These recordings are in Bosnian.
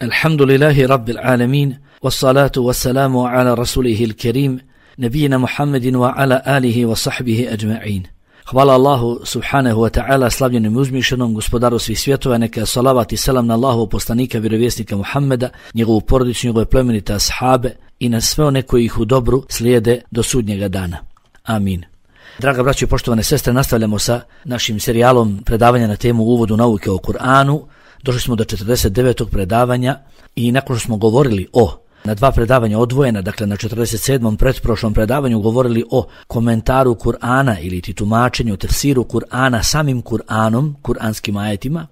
Alhamdulillahi Rabbil Alamin, wassalatu wassalamu ala rasulihil kerim, nabijina Muhammedin wa ala alihi wa sahbihi ajma'in. Hvala Allahu subhanahu wa ta'ala, slavljenim i uzmišenom, gospodaru svih svjetova, neka salavat i selam na Allahu poslanika, vjerovjesnika Muhammeda, njegovu porodicu, njegove plemenite ashabe i na sve one koji ih u dobru slijede do sudnjega dana. Amin. Draga braćo i poštovane sestre, nastavljamo sa našim serijalom predavanja na temu uvodu nauke o Kur'anu. Došli smo do 49. predavanja i nakon što smo govorili na dva predavanja odvojena, dakle na 47. pretprošlom predavanju govorili o komentaru Kur'ana ili tumačenju, tefsiru Kur'ana samim Kur'anom, kur'anskim ajetima,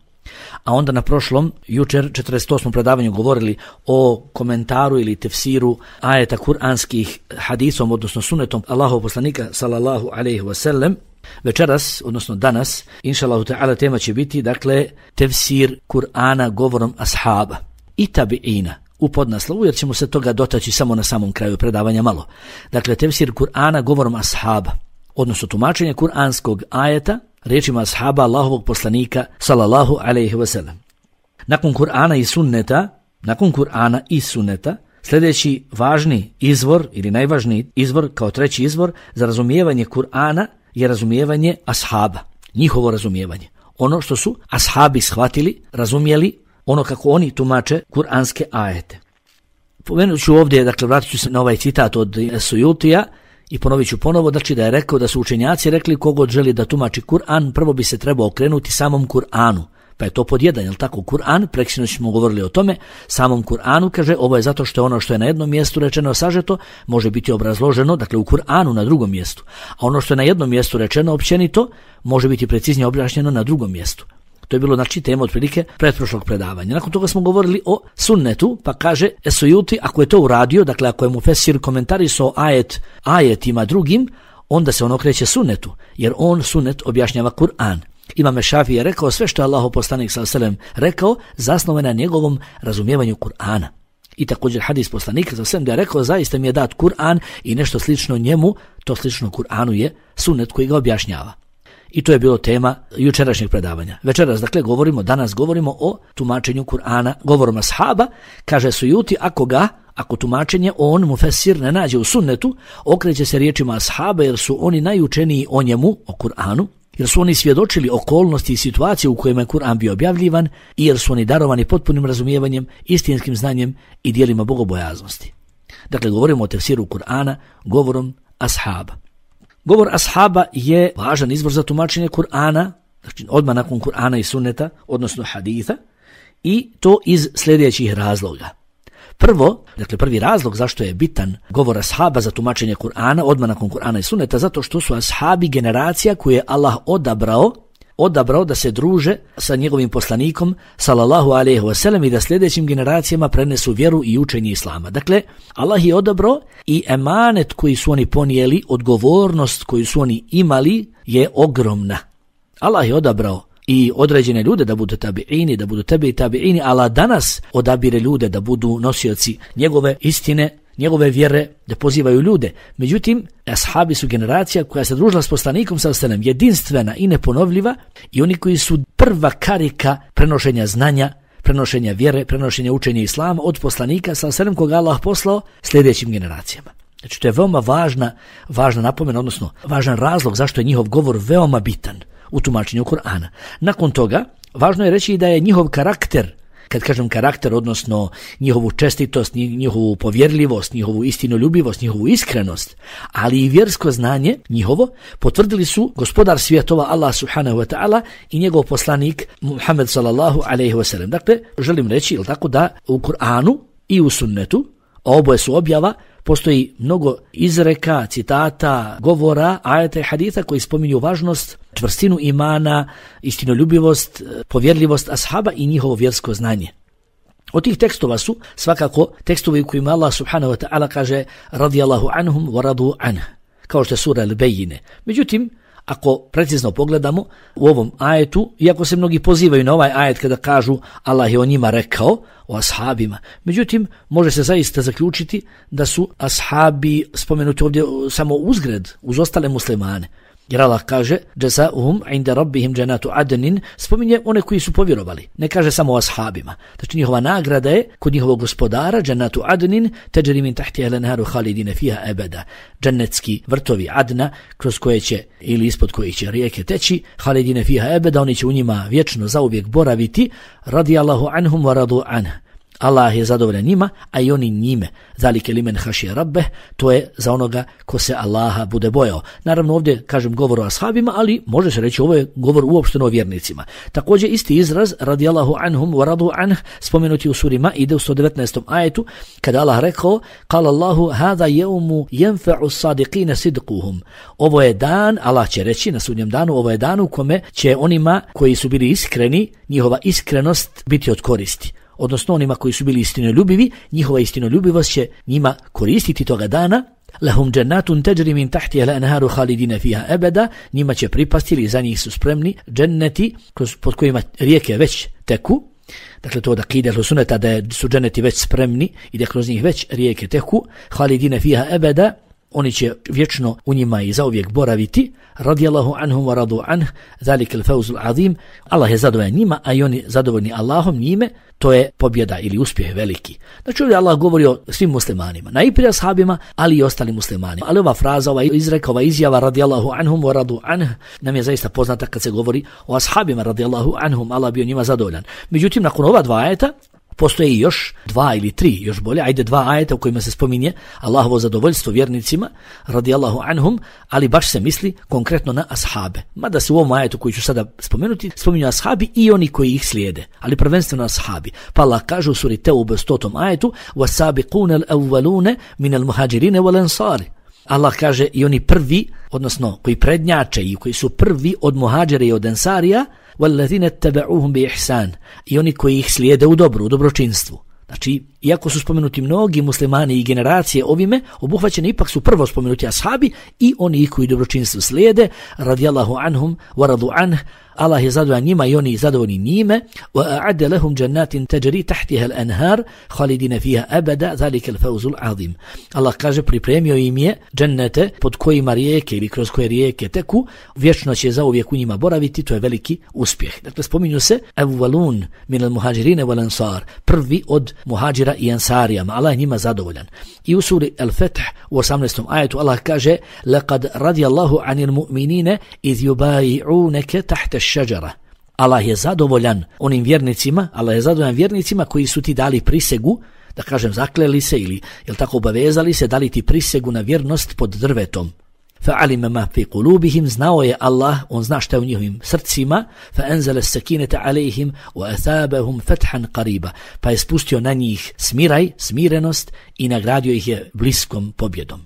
a onda na prošlom, jučer 48. predavanju govorili o komentaru ili tefsiru ajeta kur'anskih hadisom, odnosno sunetom Allahov poslanika sallallahu alejhi ve sellem. Večeras, odnosno danas, inšallahu ta'ala, tema će biti, dakle, tefsir Kur'ana govorom ashaba i tabi'ina u podnaslovu, jer ćemo se toga dotaći samo na samom kraju predavanja malo. Dakle, tefsir Kur'ana govorom ashaba, odnosno tumačenje kur'anskog ajeta riječima ashaba Allahovog poslanika sallallahu alejhi ve sellem. Nakon Kur'ana i sunneta, sljedeći važni izvor ili najvažniji izvor kao treći izvor za razumijevanje Kur'ana je razumijevanje ashaba, njihovo razumijevanje. Ono što su ashabi shvatili, razumjeli, ono kako oni tumače kur'anske ajete. Pomenut ću ovdje, dakle vratit ću se na ovaj citat od Suyutija i ponovit ću ponovo, znači da je rekao da su učenjaci rekli kogod želi da tumači Kur'an, prvo bi se trebao okrenuti samom Kur'anu. Pa je to pod jedan, jel tako, Kur'an, preksinoć smo govorili o tome, samom Kur'anu, kaže, ovo je zato što je ono što je na jednom mjestu rečeno sažeto, može biti obrazloženo, dakle u Kur'anu na drugom mjestu, a ono što je na jednom mjestu rečeno općenito, može biti preciznije objašnjeno na drugom mjestu. To je bilo, znači, tema otprilike pretprošlog predavanja. Nakon toga smo govorili o sunnetu, pa kaže Suyuti, ako je to uradio, dakle ako je mufesir komentarisao ajetima drugim, onda se on okreće sunnetu, jer on sunnet objašnjava Kur'an. Imam Šafii je rekao sve što je Allahov poslanik sallallahu alejhi ve sellem rekao zasnovano na njegovom razumijevanju Kur'ana. I također hadis poslanika sallallahu alejhi ve sellem da je rekao zaista mi je dat Kur'an i nešto slično njemu, to slično Kur'anu je sunnet koji ga objašnjava. I to je bilo tema jučerašnjeg predavanja. Večeras, dakle, danas govorimo o tumačenju Kur'ana govorom ashaba. Kaže Suyuti, ako tumačenje on mufesir ne nađe u sunnetu, okreće se riječima ashaba jer su oni najučeniji o njemu, o Kur'anu, jer su oni svjedočili okolnosti i situacije u kojima je Kur'an bio objavljivan i jer su oni darovani potpunim razumijevanjem, istinskim znanjem i dijelima bogobojaznosti. Dakle, govorimo o tefsiru Kur'ana govorom ashaba. Govor ashaba je važan izvor za tumačenje Kur'ana, znači odmah nakon Kur'ana i sunneta, odnosno haditha, i to iz sljedećih razloga. Prvi razlog zašto je bitan govor ashaba za tumačenje Kur'ana, odmah nakon Kur'ana i sunneta, zato što su ashabi generacija koju je Allah odabrao da se druže sa njegovim poslanikom sallallahu alejhi ve sellem i da sljedećim generacijama prenesu vjeru i učenje islama. Dakle, Allah je odabrao i emanet koji su oni ponijeli, odgovornost koju su oni imali je ogromna. Allah je odabrao i određene ljude da budu tabi'ini, da budu tabi'ini, Allah danas odabire ljude da budu nosioci njegove istine, njegove vjere, da pozivaju ljude. Međutim, ashabi su generacija koja se družila s poslanikom sallallahu alejhi ve sellem, jedinstvena i neponovljiva i oni koji su prva karika prenošenja znanja, prenošenja vjere, prenošenja učenja islama od poslanika sallallahu alejhi ve sellem koga Allah poslao sljedećim generacijama. Znači, to je veoma važna napomena, odnosno važan razlog zašto je njihov govor veoma bitan u tumačenju Kur'ana. Nakon toga, važno je reći da je njihov karakter, kad kažem karakter, odnosno njihovu čestitost, njihovu povjerljivost, njihovu istinoljubivost, njihovu iskrenost, ali i vjersko znanje njihovo, potvrdili su gospodar svjetova Allah subhanahu wa ta'ala i njegov poslanik Muhammed sallallahu alejhi ve sellem. Dakle, želim reći, tako da u Kur'anu i u sunnetu, a oboje su objava, postoji mnogo izreka, citata, govora, ajeta i haditha koji spominju važnost, čvrstinu imana, istinoljubivost, povjerljivost ashaba i njihovo vjersko znanje. Od tih tekstova su svakako tekstovi u kojima Allah subhanahu wa ta'ala kaže radijallahu anhum wa radu anh, kao što je sura Al-Bejine. Međutim, ako precizno pogledamo u ovom ajetu, iako se mnogi pozivaju na ovaj ajet kada kažu Allah je o njima rekao, o ashabima, međutim, može se zaista zaključiti da su ashabi spomenuti ovdje samo uzgred, uz ostale muslimane. Jer Allah kaže Jazauhum inda rabbihim džannatu adnin, spominje one koji su povjerovali. Ne kaže samo o ashabima. Znači njihova nagrada je kod njihovog gospodara džannatu adnin tajri min tahtiha al-anharu khalidina fiha abada. Džennetski vrtovi Adna kroz koje će ili ispod kojih će rijeke teći, khalidina fiha abada, oni će u njima vječno zauvijek boraviti. Radijallahu anhum wa radu anhu. Allah je zadovoljan njima, a i oni njime. Zalike limen hašije rabbeh, to je za onoga ko se Allaha bude bojao. Naravno ovdje kažem govor o ashabima, ali može se reći ovo je govor uopšteno o vjernicima. Također isti izraz radijallahu anhum wa radu anh spomenuti u suri Maide u 119. ajetu, kada Allah rekao kala Allahu hada jeumu jenfa'u sadiqina sidquhum. Ovo je dan, Allah će reći na sudnjem danu, ovo je dan u kome će onima koji su bili iskreni, njihova iskrenost biti od koristi. Odnosno onima koji su bili istinoljubivi, njihova istinoljubivost će njima koristiti toga dana. Lahum džennatun tajri min tahtiha al-anharu khalidina fiha abada, njima će pripasti ili za njih su spremni dženneti pod kojima rijeke već teku. Dakle to da akide suneta da su dženneti već spremni i da kroz njih već rijeke teku. Khalidina fiha abada, oni će vječno u njima i zauvijek boraviti. Radijallahu anhum wa radu anh, zalika al-fawzul azim. Allah je zadovoljan njima, a i oni zadovoljni Allahom njime, to je pobjeda ili uspjeh veliki. Znači ovdje Allah govori o svim muslimanima, najprije ashabima, ali i ostalim muslimanima. Ali ova fraza, ova izreka, ova izjava radijallahu anhum wa radu anh nam je zaista poznata kad se govori o ashabima radijallahu anhum, Allah bio njima zadovoljan. Međutim, nakon ova dva ajeta postoje i još dva ili tri, još bolje, ajde dva ajeta u kojima se spominje Allahovo zadovoljstvo vjernicima, radijallahu anhum, ali baš se misli konkretno na ashabe. Mada se u ovom ajetu koji ću sada spomenuti, spominju ashabi i oni koji ih slijede, ali prvenstveno ashabi. Pa Allah kaže u suri Teube 100. ajetu وَسَابِقُونَ الْأَوَّلُونَ مِنَ الْمُهَاجِرِينَ وَالْأَنصَارِ. Allah kaže i oni prvi, odnosno koji prednjače i koji su prvi od muhađira i od ensarija, وَالَّذِينَ اتَّبَعُوهُمْ بِإِحْسَانِ, i oni koji ih slijede u dobru, u dobročinstvu. Znači, iako su spomenuti mnogi muslimani i generacije ovime, obuhvaćeni ipak su prvo spomenuti ashabi i oni koji dobročinstvu slijede, radijallahu anhum wa radu anh, Allah je zadovoljan njima i oni zadovoljni njime. وَأَعَدَّ لَهُمْ جَنَّاتٍ تَجْرِي تَحْتِهَا الْأَنْهَارِ خَالِدِينَ فِيهَا أَبَدًا ذَلِكَ الْفَوْزُ الْعَظِيمُ. Allah kaže pripremio im je džennete pod kojima rijeke ili kroz koje rijeke teku, vječno će zauvijek u njima boraviti, to je veliki uspjeh. Dakle, spominju se أَوَّلُونَ مِنَ الْمُهَاجِرِينَ وَالْأَنصَارِ, prvi od muhađira i ansarijama, Allah je njima zadovoljan. I u suri Al-Fath u 18. ajetu Allah kaže لَقَدْ رَضِيَ اللَّهُ عَنِ الْمُؤْمِنِينَ إِذْ يُبَايِعُونَكَ تَحْتَ الشَّجَرَةِ. Allah je zadovoljan onim vjernicima, Allah je zadovoljan vjernicima koji su ti dali prisegu, da kažem zakleli se ili jel tako obavezali se, dali ti prisegu na vjernost pod drvetom. فَعَلِمَ مَا فِي قُلُوبِهِمْ, znao je Allah, on zna šta je u njihovim srcima, فَأَنزَلَ السَّكِينَةَ عَلَيْهِمْ وَأَثَابَهُمْ فَتْحًا قَرِيبًا, pa je spustio na njih smiraj, smirenost i nagradio ih je bliskom pobjedom.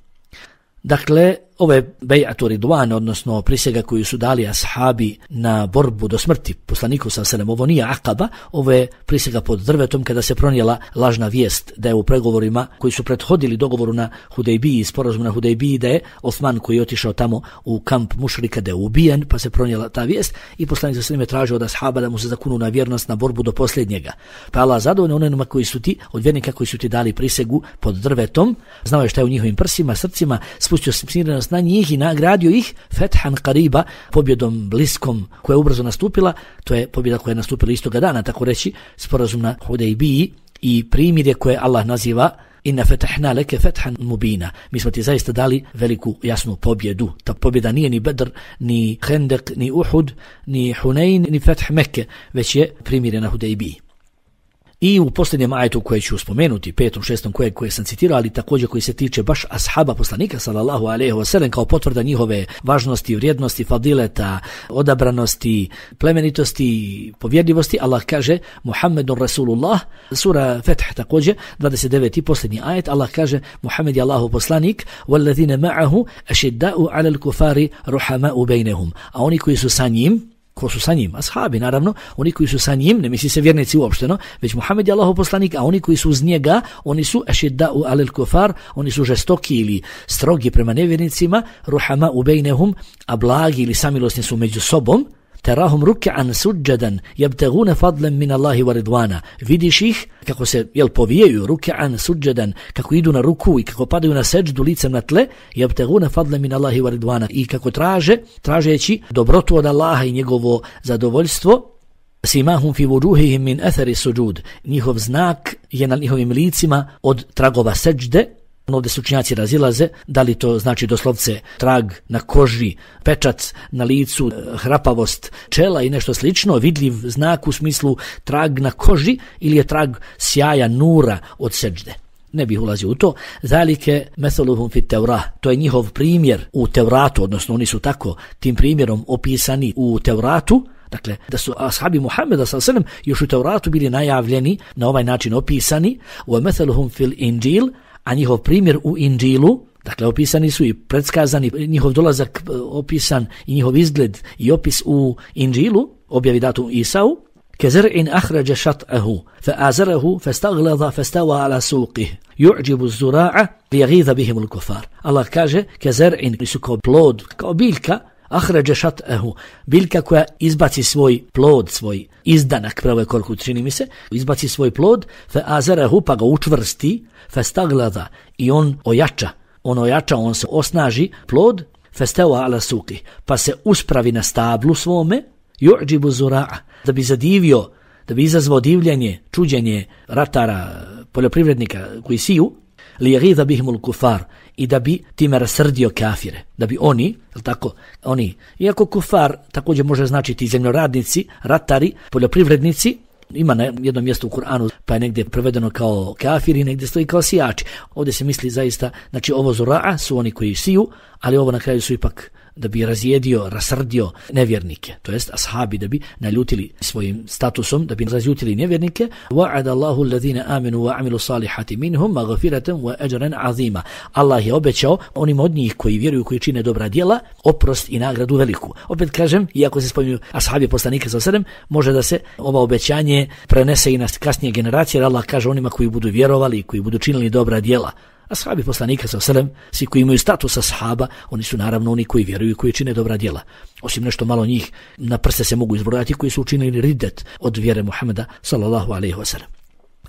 Dakle, ove bej'atu ridwan, odnosno prisega koju su dali ashabi na borbu do smrti poslaniku sallallahu, ovo nije akaba, ovo je prisega pod drvetom kada se pronijela lažna vijest da je u pregovorima koji su prethodili dogovoru na Hudejbiji, sporazum na Hudejbiji, da je Osman koji je otišao tamo u kamp mušrika da je ubijen, pa se pronijela ta vijest i poslanik sallallahu je tražio od ashaba da mu se zakunu na vjernost na borbu do posljednjega. Pa Allah zadovoljan onima koji su ti, od vjernika koji su ti dali prisegu pod drvetom, znao je šta je u njihovim prsima, srcima, spustio smirenost na njih i nagradio ih fethan qariba, pobjedom bliskom koja je ubrzo nastupila. To je pobjeda koja je nastupila istoga dana, tako reći, sporazum na Hudejbiji i primirje koje Allah naziva inna fetahna leke fethan mubina. Mi smo ti zaista dali veliku jasnu pobjedu. Ta pobjeda nije ni Bedr, ni Hendek, ni Uhud, ni Hunain, ni Feth Mekke, već je primirje na Hudejbiji. I u posljednjem ajetu koje ću spomenuti, 5., 6. koje sam citirao, ali također koji se tiče baš ashaba poslanika sallallahu alejhi ve sellem kao potvrda njihove važnosti, vrijednosti, fadileta, odabranosti, plemenitosti, povjerljivosti, Allah kaže Muhammedun Rasulullah, sura Feth također 29. posljednji ajet, Allah kaže Muhammed je Allahov poslanik, wallazina ma'ahu ashidda'u 'alal kufari ruhama'u bainahum, a oni koji su sa njim, ko su sa njim, ashabi naravno, oni koji su sa njim, ne misli se vjernici uopšteno, već Muhammed je Allahov poslanik, a oni koji su uz njega, oni su ashidda'u 'alal kufar, oni su žestoki ili strogi prema nevjernicima, ruhama bainahum, a blagi ili samilosni su među sobom. terahum ruk'an sujjadan yabtaguna fadlan min Allahi wa ridwana. Vidiš ih kako se povijaju ruk'an sujjadan, kako idu na ruku i kako padaju na seđdu licem na tle, yabtaguna fadlan min Allahi wa ridwana, i kako tražeći dobrotu od Allaha i njegovo zadovoljstvo. Simahum fi wujuhihim min athari sujud. Njihov znak je na njihovim licima od tragova seđde. Ovdje su učenjaci razilaze da li to znači doslovce trag na koži, pečat na licu, hrapavost čela i nešto slično, vidljiv znak u smislu trag na koži, ili je trag sjaja nura od seđde. Ne bih ulazio u to. Zalike methaluhum fit Tevrah. To je njihov primjer u Tevratu, odnosno oni su tako tim primjerom opisani u Tevratu. Dakle, da su ashabi Muhammeda s.a.v. još u Tevratu bili najavljeni, na ovaj način opisani. Wa methaluhum fil Inđil, a njihov primjer u Inđilu, dakle opisani su i predskazani, njihov dolazak opisan i njihov izgled i opis u Inđilu, objavi datu Isau. كزرع أخرج شطأه فآزره فاستغلظ فاستوى على سوقه يعجب الزراع ليغيظ بهم الكفار. الله kaže كزرع su kao plod, kao biljka, ahrađa šat'ahu, biljka koja izbaci svoj plod, svoj izdanak, pravo je koliko čini mi se, izbaci svoj plod, fa'azarahu, pa ga učvrsti, fastagladha, i on ojača, on se osnaži, plod, fastawa ala suqi, pa se uspravi na stablu svome, yu'jibu zura'a, da bi zadivio, da bi izazvao divljenje, čuđenje ratara, poljoprivrednika koji siju, liyaghidha bihimul kufar, i da bi time rasrdio kafire, da bi oni, iako kufar također može značiti zemljoradnici, ratari, poljoprivrednici, ima na jednom mjestu u Kur'anu, pa je negdje prevedeno kao kafiri, negdje stoji kao sijači. Ovdje se misli zaista, znači ovo zura'a su oni koji siju, ali ovo na kraju su ipak da bi razjedio, rasrdio nevjernike, to jest ashabi, da bi naljutili svojim statusom, da bi razljutili nevjernike. Wa'ada Allahu alladhina amanu wa amilu salihati minhum maghfiratan wa ajran azima. Allah je obećao onim od njih koji vjeruju, koji čine dobra djela, oprost i nagradu veliku. Opet kažem, iako se spominju ashabi poslanika s.a.v., može da se ova obećanje prenese i na kasnije generacije, jer Allah kaže onima koji budu vjerovali, koji budu činili dobra djela. Ashabi poslanika s.a.v., svi koji imaju status ashaba, oni su naravno oni koji vjeruju i koji čine dobra djela. Osim nešto malo njih, na prste se mogu izbrojati, koji su učinili ridet od vjere Muhammeda sallallahu alejhi ve sellem.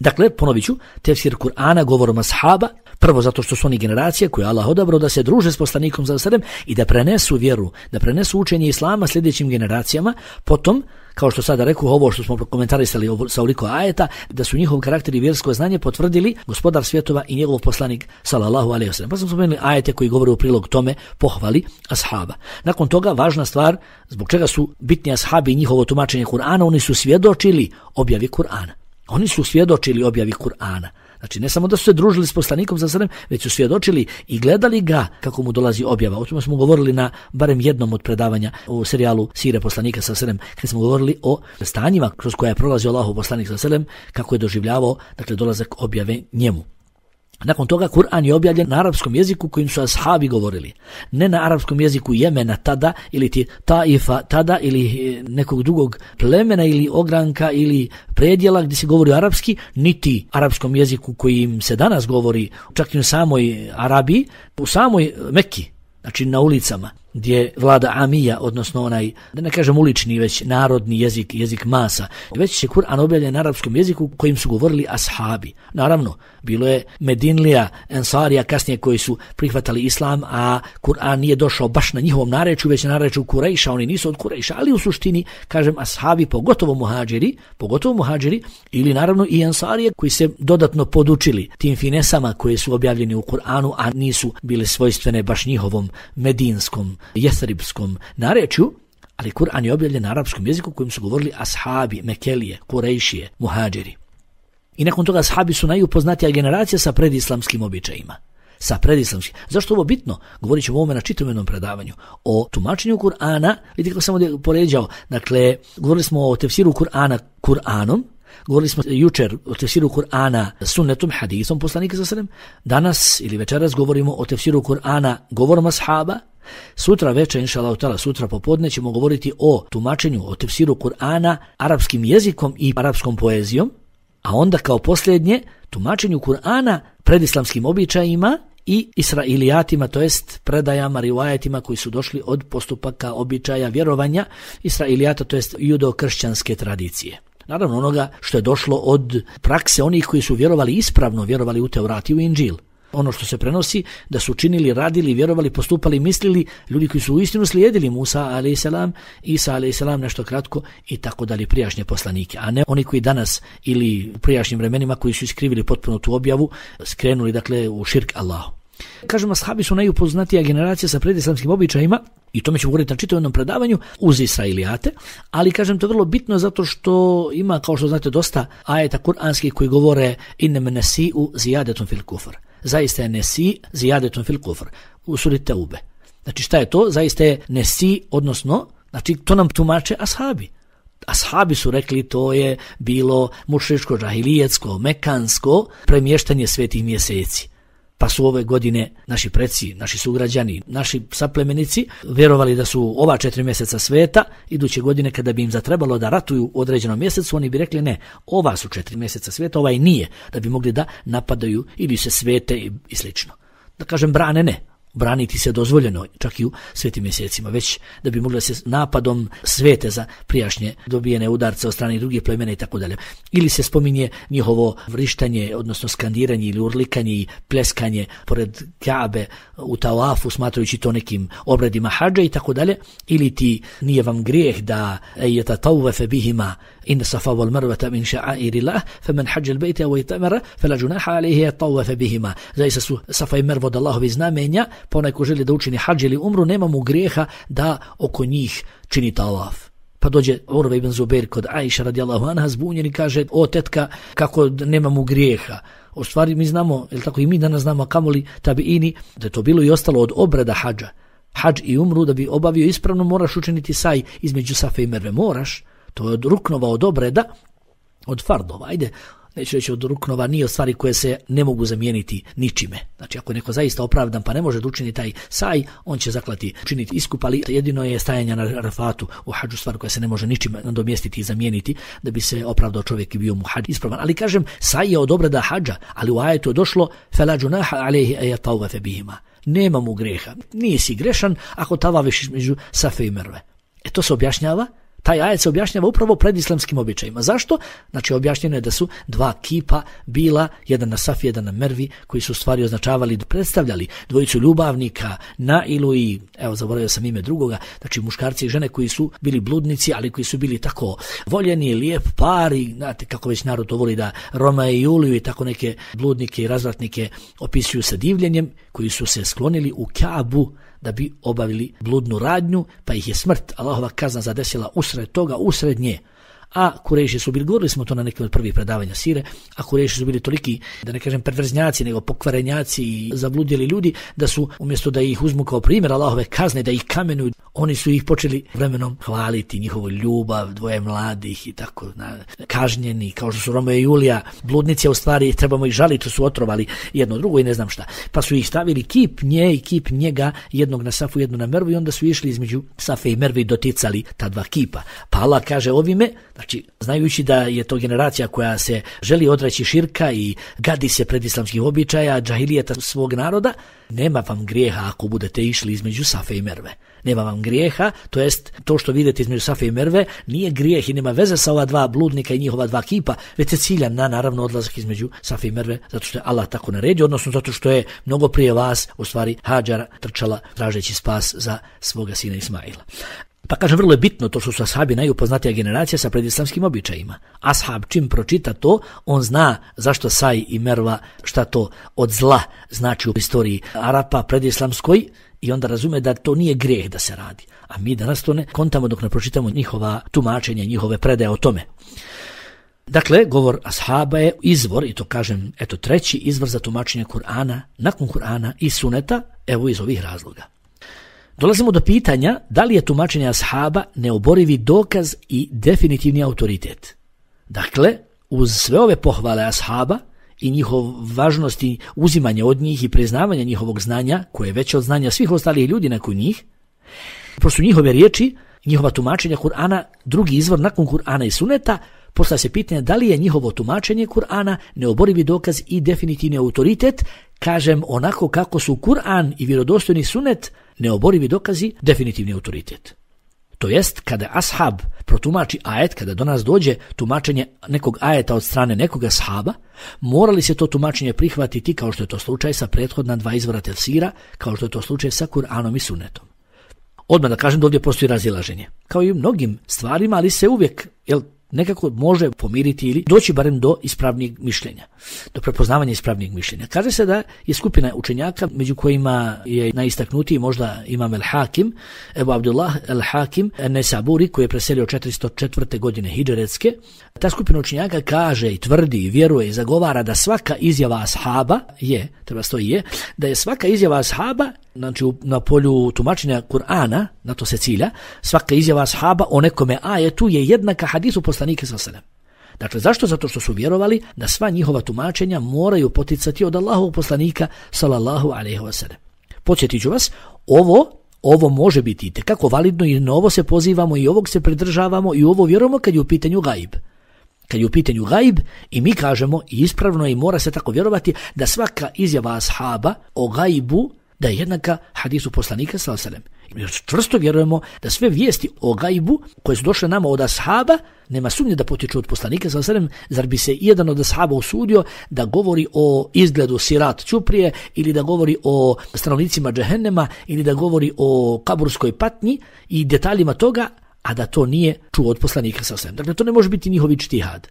Dakle, ponovit ću, tefsir Kur'ana govorom ashaba, prvo zato što su oni generacije koje Allah odabrao da se druže s poslanikom s.a.v. i da prenesu vjeru, da prenesu učenje Islama sljedećim generacijama, potom, kao što sada rekao, ovo što smo komentarisali sa ovoliko ajeta, da su njihov karakter i vjersko znanje potvrdili gospodar svjetova i njegov poslanik sallallahu alejhi ve sellem. Pa smo spomenuli ajete koji govore u prilog tome, pohvali ashaba. Nakon toga, važna stvar, zbog čega su bitni ashabi i njihovo tumačenje Kur'ana, oni su svjedočili objavi Kur'ana. Oni su svjedočili objavi Kur'ana. Znači, ne samo da su se družili s poslanikom s.a.v., već su svjedočili i gledali ga kako mu dolazi objava. O tome smo govorili na barem jednom od predavanja u serijalu Sire poslanika s.a.v., kad smo govorili o stanjima kroz koja je prolazio Allahov poslanik s.a.v., kako je doživljavao, dakle, dolazak objave njemu. Nakon toga Kur'an je objavljen na arapskom jeziku kojim su ashabi govorili. Ne na arapskom jeziku Jemena tada, ili ti Taifa tada, ili nekog drugog plemena ili ogranka ili predjela gdje se govori arapski, niti arapskom jeziku kojim se danas govori, čak i u samoj Arabiji, u samoj Mekki, znači na ulicama, gdje vlada amija, odnosno onaj, da ne kažem ulični, već narodni jezik, jezik masa. Već je Kur'an objavljen na arapskom jeziku kojim su govorili ashabi. Naravno, bilo je Medinlija, Ensarija kasnije koji su prihvatali islam, a Kur'an nije došao baš na njihovom narečju, već na narečju Kurejša, oni nisu od Kurejša, ali u suštini, kažem, ashabi, pogotovo muhađiri, ili naravno i Ensarije koji se dodatno podučili tim finesama koje su objavljeni u Kur'anu, a nisu bile svojstvene baš njihovom medinskom, jesribskom narečju, ali Kur'an je objavljen na arapskom jeziku kojim su govorili ashabi, Mekelije, Kurejšije, muhađiri. I nakon toga ashabi su najupoznatija generacija sa predislamskim običajima. Zašto ovo bitno? Govorit ćemo o ovome na čitavom predavanju. O tumačenju Kur'ana, vidite kako sam ovdje poređao, dakle, govorili smo o tefsiru Kur'ana Kur'anom, govorili smo jučer o tefsiru Kur'ana sunnetom, hadisom poslanika s.a.v. Danas ili večeras govorimo o tefsiru Kur'ana govorom ashaba. Sutra večer, inšallahu ta'ala, sutra popodne ćemo govoriti o tumačenju, o tefsiru Kur'ana arapskim jezikom i arapskom poezijom, a onda kao posljednje tumačenju Kur'ana predislamskim običajima i Israilijatima, to jest predajama, rivajetima koji su došli od postupaka, običaja, vjerovanja Israilijata, to jest judo-kršćanske tradicije. Naravno onoga što je došlo od prakse onih koji su vjerovali ispravno, vjerovali u Teurat i u Inđil. Ono što se prenosi da su činili, radili, vjerovali, postupali, mislili ljudi koji su uistinu slijedili Musa a.s., Isa a.s. nešto kratko i tako dalje prijašnje poslanike, a ne oni koji danas ili u prijašnjim vremenima koji su iskrivili potpuno tu objavu, skrenuli dakle u širk Allahu. Kažemo, ashabi su najupoznatija generacija sa predislamskim običajima i tome ćemo govoriti na čitavom jednom predavanju uz Israilijate, ali kažem to je vrlo bitno zato što ima, kao što znate, dosta ajeta kuranskih koji govore innama nasi'u zijadatun fil kufr. Zaista je nesi zijadatun fil kufr u suri Teube. Znači šta je to? Zaista je nesi, odnosno, znači to nam tumače ashabi. Ashabi su rekli to je bilo mušričko, džahilijetsko, mekansko premještanje svetih mjeseci. Pa su ove godine naši preci, naši sugrađani, naši saplemenici vjerovali da su ova 4 mjeseca sveta, iduće godine kada bi im zatrebalo da ratuju u određenom mjesecu, oni bi rekli ne, ova su 4 mjeseca sveta, ovaj nije, da bi mogli da napadaju ili se svete i slično. Da kažem, brane ne. Braniti se dozvoljeno čak i u svetim mjesecima, već da bi mogli se napadom svete za prijašnje dobijene udarce od strane drugih plemena i tako dalje. Ili se spominje njihovo vrištanje, odnosno skandiranje ili urlikanje i pleskanje pored Kaabe u Tawafu, smatrajući to nekim obredima hadža i tako dalje. Ili ti nije vam grijeh da yatatawwafa bihima in safa wal marwata min sha'airillah faman hajja al-bayta wa itamara fala junaha alayhi yatawwafa bihima. Zaista su Safa i Merva od Allahovi znamenja, pa onaj ko želi da učini hadž ili umru, nema mu grijeha da oko njih čini tawaf. Pa dođe Urva ibn Zubair kod Aisha radijallahu anha zbunjen i kaže, o tetka, kako nema mu grijeha. U stvari mi znamo, ili tako i mi danas znamo, kamoli tabiini, da je to bilo i ostalo od obreda hadža. Hadž i umru da bi obavio ispravno moraš učiniti saj između Safe i Merve. Moraš, to je od ruknova, od obreda, od fardova. Ajde, neću reći od ruknova, nije od stvari koje se ne mogu zamijeniti ničime. Znači ako je neko zaista opravdan pa ne može da učini taj saj, on će zaklati učiniti iskup, ali jedino je stajanje na Arafatu u hadžu stvar koja se ne može ničime nadomjestiti i zamijeniti da bi se opravdao čovjek i bio mu hadž ispravan. Ali kažem, saj je od obreda hadža, ali u ajetu je došlo fela junaha alayhi an yatawafa bihima. Nema mu greha, nisi grešan ako tavaviš između Safe i Merve. To se objašnjava. Taj ajet se objašnjava upravo pred islamskim običajima. Zašto? Znači objašnjeno je da su 2 kipa bila, jedan na Safi, jedan na Mervi, koji su stvari označavali, predstavljali dvojicu ljubavnika na ilu i, evo zaboravio sam ime drugoga, znači muškarci i žene koji su bili bludnici, ali koji su bili tako voljeni, lijep par i znate kako već narod to voli da Roma i Juliju i tako neke bludnike i razvratnike opisuju sa divljenjem, koji su se sklonili u Kaabu da bi obavili bludnu radnju, pa ih je smrt, Allahova kazna zadesila usred toga, usred nje. A Kurejši su bili, govorili smo to na nekim od prvih predavanja sire, a Kurejši su bili toliki, da ne kažem perverznjaci, nego pokvarenjaci i zabludjeli ljudi, da su umjesto da ih uzmu kao primjer Allahove kazne, da ih kamenuju, oni su ih počeli vremenom hvaliti, njihovu ljubav, dvoje mladih i tako, kažnjeni, kao što su Romeo i Julija, bludnici, a u stvari trebamo ih žaliti, su otrovali jedno drugo i ne znam šta. Pa su ih stavili kip nje i kip njega, jednog na Safu, jednog na Mervu i onda su išli između Safe i Merve i doticali ta 2 kipa. Pa Allah kaže ovime, znači, znajući da je to generacija koja se želi odreći širka i gadi se pred islamskih običaja, džahilijeta svog naroda, nema vam grijeha ako budete išli između Safe i Merve. Nema vam grijeha, to jest to što vidite između Safe i Merve nije grijeh i nema veze sa ova 2 bludnika i njihova 2 kipa, već je ciljan na naravno odlazak između Safe i Merve, zato što je Allah tako naredio, odnosno zato što je mnogo prije vas u stvari Hadžara trčala tražeći spas za svoga sina Ismaila. Pa kažem, vrlo je bitno to što su ashabi najupoznatija generacija sa predislamskim običajima. Ashab čim pročita to, on zna zašto Saj i Merva, šta to od zla znači u istoriji Arapa predislamskoj i onda razume da to nije grijeh da se radi. A mi danas to ne kontamo dok ne pročitamo njihova tumačenja, njihove predaje o tome. Dakle, govor ashaba je izvor, i to kažem, eto 3. izvor za tumačenje Kur'ana, nakon Kur'ana i suneta, evo iz ovih razloga. Dolazimo do pitanja da li je tumačenje ashaba neoborivi dokaz i definitivni autoritet. Dakle, uz sve ove pohvale ashaba i njihov važnost i uzimanje od njih i priznavanje njihovog znanja, koje je veće od znanja svih ostalih ljudi nakon njih, prosto njihove riječi, njihova tumačenja Kur'ana, drugi izvor nakon Kur'ana i suneta, Postavlja se pitanje da li je njihovo tumačenje Kur'ana neoborivi dokaz i definitivni autoritet, kažem onako kako su Kur'an i vjerodostojni sunet neoborivi dokazi, definitivni autoritet. To jest, kada ashab protumači ajet, kada do nas dođe tumačenje nekog ajeta od strane nekog ashaba, morali se to tumačenje prihvatiti kao što je to slučaj sa prethodna 2 izvora tefsira, kao što je to slučaj sa Kur'anom i sunnetom. Odmah da kažem da ovdje postoji razilaženje. Kao i u mnogim stvarima, ali se uvijek nekako može pomiriti ili doći barem do ispravnijeg mišljenja, do prepoznavanja ispravnijeg mišljenja. Kaže se da je skupina učenjaka, među kojima je najistaknutiji možda Imam al-Hakim, Ebu Abdullah al-Hakim an-Nesaburi, koji je preselio 404. godine hidžretske. Ta skupina učenjaka kaže i tvrdi i vjeruje i zagovara da svaka izjava ashaba da je svaka izjava ashaba, znači na polju tumačenja Kur'ana, na to se cilja, svaka izjava ashaba o nekome ajetu je jednaka hadisu poslanika sallallahu alejhi ve sellem. Dakle, zašto? Zato što su vjerovali da sva njihova tumačenja moraju poticati od Allahovog poslanika sallallahu alejhi ve sellem. Podsjetit ću vas, ovo može biti itekako validno i na ovo se pozivamo i ovog se pridržavamo i ovo vjerujemo kad je u pitanju gajb. Kad je u pitanju gajb i mi kažemo i ispravno i mora se tako vjerovati da svaka izjava ashaba o gajbu da je jednaka hadisu poslanika sallallahu alejhi ve sellem. Čvrsto vjerujemo da sve vijesti o gajbu koje su došle nama od ashaba nema sumnje da potiču od poslanika sallallahu alejhi ve sellem. Zar bi se jedan od ashaba usudio da govori o izgledu sirat ćuprije ili da govori o stanovnicima džehennema ili da govori o kaburskoj patnji i detaljima toga, a da to nije čuo od poslanika sallallahu alejhi ve sellem. Dakle, to ne može biti njihov ijtihad.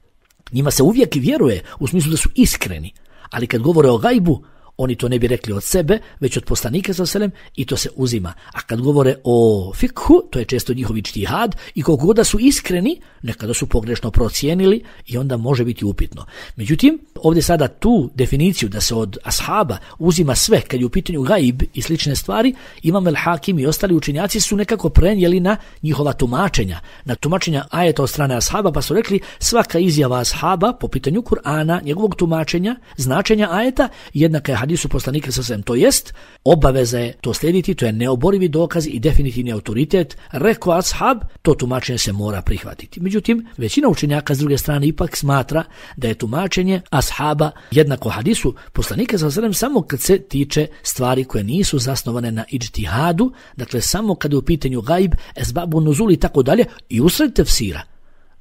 Njima se uvijek vjeruje u smislu da su iskreni, ali kad govore o gajbu, oni to ne bi rekli od sebe, već od poslanika sallallahu alejhi ve sellem i to se uzima. A kad govore o fikhu, to je često njihov ijtihad i koliko god da su iskreni, nekada su pogrešno procijenili i onda može biti upitno. Međutim, ovdje sada tu definiciju da se od ashaba uzima sve kad je u pitanju gajb i slične stvari, Imam al-Hakim i ostali učenjaci su nekako prenijeli na njihova tumačenja, na tumačenja ajeta od strane ashaba, pa su rekli svaka izjava ashaba po pitanju Kur'ana, njegovog tumačenja, značenja ajeta, jednaka je hadisu poslanika sallallahu alejhi ve sellem, to jest obaveza je to slijediti, to je neoborivi dokaz i definitivni autoritet. Rekao ashab, to tumačenje se mora prihvatiti. Međutim, većina učenjaka s druge strane ipak smatra da je tumačenje ashaba jednako hadisu poslanika sallallahu alejhi ve sellem samo kad se tiče stvari koje nisu zasnovane na ijtihadu, dakle samo kad je u pitanju gajb, esbabu nuzul i tako dalje i usred tefsira.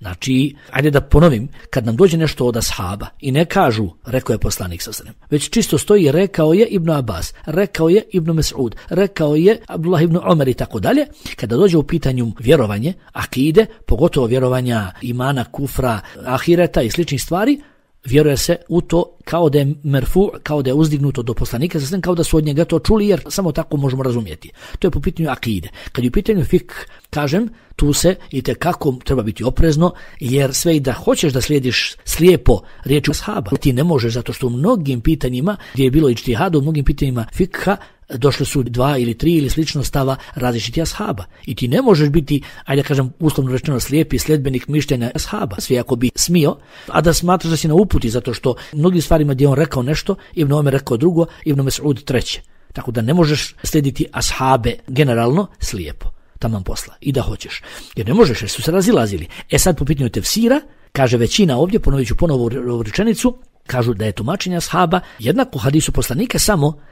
Znači, ajde da ponovim, kad nam dođe nešto od ashaba i ne kažu, rekao je poslanik sallallahu alejhi ve sellem, već čisto stoji rekao je Ibn Abbas, rekao je Ibn Mes'ud, rekao je Abdullah ibn Omer i tako dalje, kada dođe u pitanju vjerovanje, akide, pogotovo vjerovanja imana, kufra, ahireta i sličnih stvari, vjeruje se u to kao da je merfu, kao da je uzdignuto do poslanika, kao da su od njega to čuli, jer samo tako možemo razumjeti. To je po pitanju akide. Kad je u pitanju fik, kažem, tu se itekako treba biti oprezno, jer sve i da hoćeš da slijediš slijepo riječi ashaba, ti ne možeš, zato što u mnogim pitanjima, gdje je bilo ijtihad, u mnogim pitanjima fikha, došli su 2 ili 3 ili slično stava različiti ashaba. I ti ne možeš biti, ajde kažem, uslovno rečeno slijepi sljedbenik mišljenja ashaba. Sve ako bi smio, a da smatraš da si na uputi, zato što mnogim stvarima gdje on rekao nešto, Ibn Omer rekao drugo, Ibn Mes'ud treće. Tako da ne možeš slijediti ashabe generalno slijepo. Taman posla. I da hoćeš. Jer ne možeš, jer su se razilazili. Sad po pitanju tefsira, kaže većina ovdje, ponovit ću ponovo ovu rečenicu, kažu da je tumačenje ashaba jednako hadisu poslanika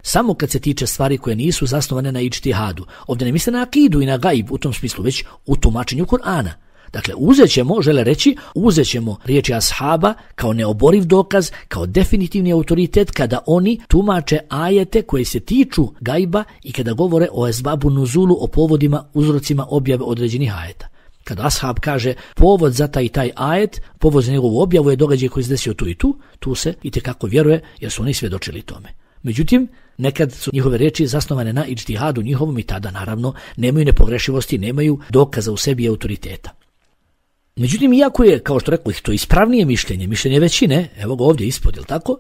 samo kad se tiče stvari koje nisu zasnovane na ijtihadu. Ovdje ne misle na akidu i na gajb u tom smislu, već u tumačenju Kur'ana. Dakle, uzet ćemo riječi ashaba kao neoboriv dokaz, kao definitivni autoritet kada oni tumače ajete koje se tiču gajba i kada govore o esbabu nuzulu, o povodima, uzrocima objave određenih ajeta. Kada ashab kaže povod za taj i taj ajet, povod za njegovu objavu je događaj koji se desio tu i tu se itekako vjeruje jer su oni svjedočili tome. Međutim, nekad su njihove riječi zasnovane na ijtihadu njihovom i tada naravno nemaju nepogrešivosti, nemaju dokaza u sebi i autoriteta. Međutim, iako je, kao što rekao, to ispravnije mišljenje većine, evo ga ovdje ispod, jel tako?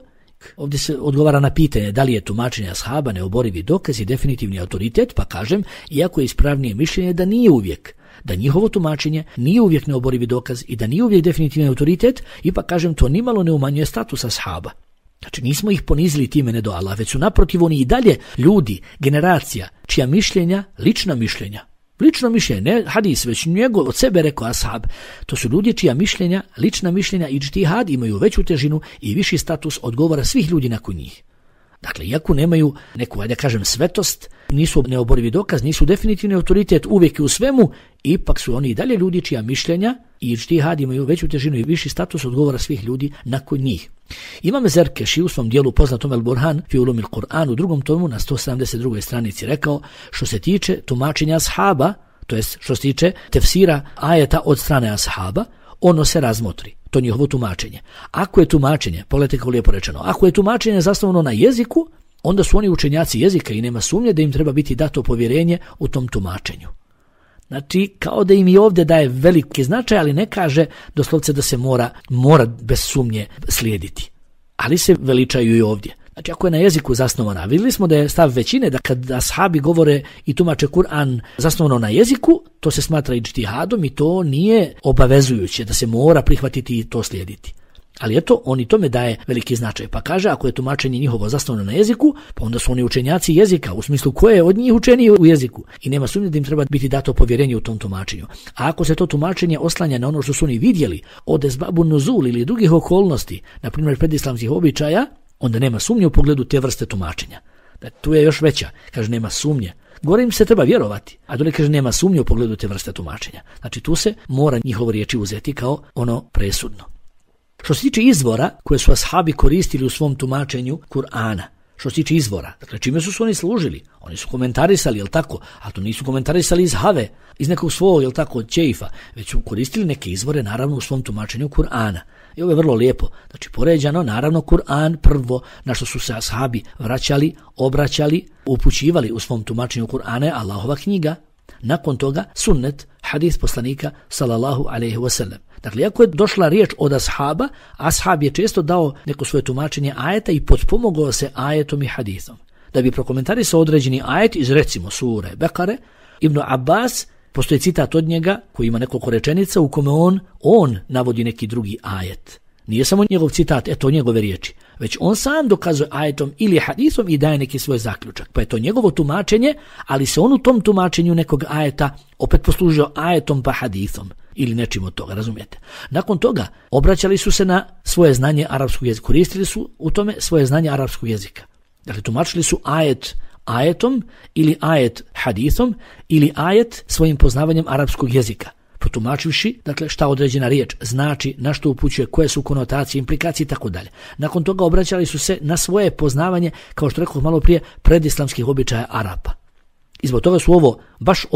Ovdje se odgovara na pitanje da li je tumačenje ashaba neoborivi dokaz i definitivni autoritet, pa kažem, iako je ispravnije mišljenje da nije uvijek, da njihovo tumačenje nije uvijek neoborivi dokaz i da nije uvijek definitivni autoritet, ipak kažem, to nimalo ne umanjuje status ashaba. Znači, nismo ih ponizili time ne do Allah, već su naprotiv oni i dalje ljudi, generacija, čija mišljenja, lična mišljenja, Lično mišljenje, ne hadis, već njegov od sebe rekao ashab. To su ljudi čija mišljenja, lična mišljenja i džtihad imaju veću težinu i viši status od govora svih ljudi nakon njih. Dakle, iako nemaju neku, da kažem, svetost, nisu neoborivi dokaz, nisu definitivni autoritet uvijek i u svemu, ipak su oni i dalje ljudi čija mišljenja i džtihad imaju veću težinu i viši status od govora svih ljudi nakon njih. Imam Zerkeši u svom dijelu poznatom El Burhan fi ulumil Kur'an u drugom tomu na 172. stranici rekao, što se tiče tumačenja ashaba, to jest što se tiče tefsira ajeta od strane ashaba, ono se razmotri, to njihovo tumačenje. Ako je tumačenje, pogledajte kako lijepo rečeno, ako je tumačenje zasnovano na jeziku, onda su oni učenjaci jezika i nema sumnje da im treba biti dato povjerenje u tom tumačenju. Znači, kao da im i ovdje daje veliki značaj, ali ne kaže doslovce da se mora bez sumnje slijediti. Ali se veličaju i ovdje. Znači, ako je na jeziku zasnovana, vidjeli smo da je stav većine da kad ashabi govore i tumače Kur'an zasnovano na jeziku, to se smatra i džtihadom i to nije obavezujuće da se mora prihvatiti i to slijediti. Ali eto, on i tome daje veliki značaj. Pa kaže, ako je tumačenje njihovo zasnovano na jeziku, pa onda su oni učenjaci jezika, u smislu ko je od njih učeniji u jeziku. I nema sumnje da im treba biti dato povjerenje u tom tumačenju. A ako se to tumačenje oslanja na ono što su oni vidjeli od esbabu nuzul ili drugih okolnosti, na primjer predislamskih običaja, onda nema sumnje u pogledu te vrste tumačenja. Da, tu je još veća. Kaže, nema sumnje. Gore im se treba vjerovati, a dole kaže nema sumnje u pogledu te vrste tumačenja. Znači tu se mora njihovo riječi uzeti kao ono presudno. Što se tiče izvora koje su ashabi koristili u svom tumačenju Kur'ana, što se tiče izvora, dakle čime su oni služili? Oni su komentarisali, jel tako? A to nisu komentarisali iz have, iz nekog svog, jel tako, od čeifa, već su koristili neke izvore naravno u svom tumačenju Kur'ana. I ovo je vrlo lijepo. Znači poređano, naravno Kur'an prvo na što su se ashabi vraćali, obraćali, upućivali u svom tumačenju Kur'ana je Allahova knjiga. Nakon toga sunnet, hadis poslanika sallallahu alejhi ve sellem. Dakle, ako je došla riječ od ashaba, ashab je često dao neko svoje tumačenje ajeta i potpomogao se ajetom i hadisom. Da bi prokomentarisao određeni ajet iz recimo sure Bekare, Ibn Abbas, postoji citat od njega koji ima nekoliko rečenica u kome on navodi neki drugi ajet. Nije samo njegov citat, eto njegove riječi, već on sam dokazuje ajetom ili hadisom i daje neki svoj zaključak. Pa je to njegovo tumačenje, ali se on u tom tumačenju nekog ajeta opet poslužio ajetom pa hadisom ili nečim od toga, razumijete. Nakon toga obraćali su se na svoje znanje arapskog jezika, koristili su u tome svoje znanje arapskog jezika. Dakle, tumačili su ajet ajetom ili ajet hadisom ili ajet svojim poznavanjem arapskog jezika, protumačivši, dakle, šta određena riječ znači, na što upućuje, koje su konotacije, implikacije i tako dalje. Nakon toga obraćali su se na svoje poznavanje, kao što rekao malo prije, predislamskih običaja Arapa. I zbog toga su baš